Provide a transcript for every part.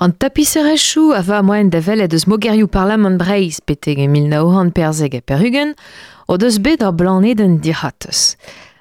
An tapiserezhioù a va moaien da welet eus mogerioù Parlamant Breizh betek e 1994 o deus bet ur blanedenn dic'hortoz.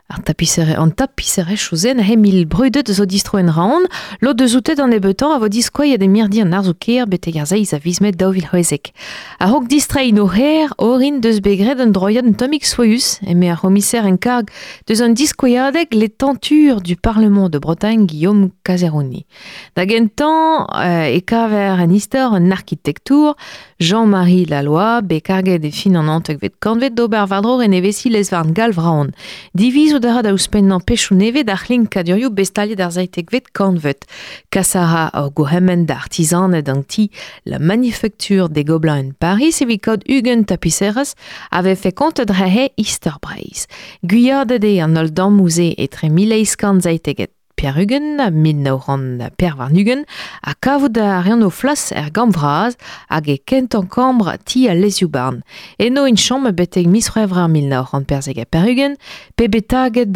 Ar tapisere, an tapiserezhioù-se neuze brudet zo distro en Raon, lod deus oute d'an nebeutañ a vo diskoaiet e mirdi an arzoù-kêr betek ar seizh a viz Mae 2016. A-raok distreiñ o c'hêr, orin deus bet graet un droiad un tammig soius, eme ar c'homiser en karg deus an diskouezadeg Les Tentures du Parlement de Bretagne Guillaume Caseroni. Da gentañ e kaver en istor un arkitektour, Jean-Marie Laloy, bet karget e fin an naontekvet kantved d'ober war-dro renevesiñ lez-varn Galv-Raon. Divizout a ra da ouzhpennañ pechoù nevez d'ar c'hlinkadurioù bet staliet ar seitekvet kantved. Kas a ra ur gourc'hemenn da artizaned an ti La Manufacture des Gobelins en Paris evit kaout 20 tapiserezh a vefe kontet dre he istor Breizh. Gwiadet eo an holl dammoù-se etre 1897 1924 ha kavout a reont o flas er gambr vras hag e kentañ kambr ti al lezioù-barn. Eno int chom betek miz C'hwevrer 1994 pe bet taget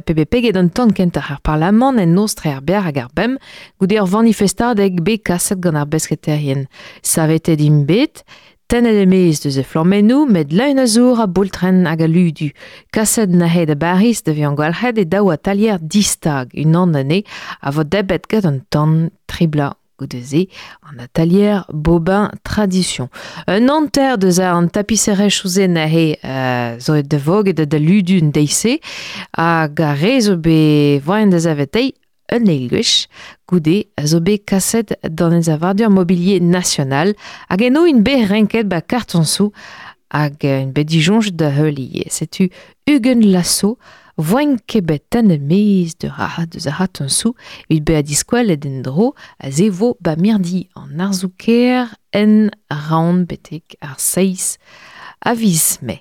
pe bet peget an tan kentañ er parlamant en noz tre ar berr hag ar bemp goude ur vanifestadeg bet kaset gant ar besketerien. Savetet int bet Tennet e-maez deus e flammennoù, met leun a zour, a boultrenn hag a ludu. Kaset neuze da Bariz da vezañ gwalc'het e daou atalier distag, unan anezhe a vo debret gant an tan tri bloaz goude-se, an atalier Bobin Tradition. Un hanter deus an tapiserezhioù-se neuze zo da voget da ludu an deiz-se, hag ar re zo bet voaien da saveteiñ un eil gwech goude a zo bet kaset d'an ensavadur mobilier national hag eno int bet renket ba kartoñsoù hag int bet disoñjet da heul ivez. Setu 20 laso voint ket bet tennet maez deus ar c'hartoñsoù evit bezañ diskwelet en-dro a se vo ba mirdi an arzoù-kaer en Raon betek ar seizh a viz Mae.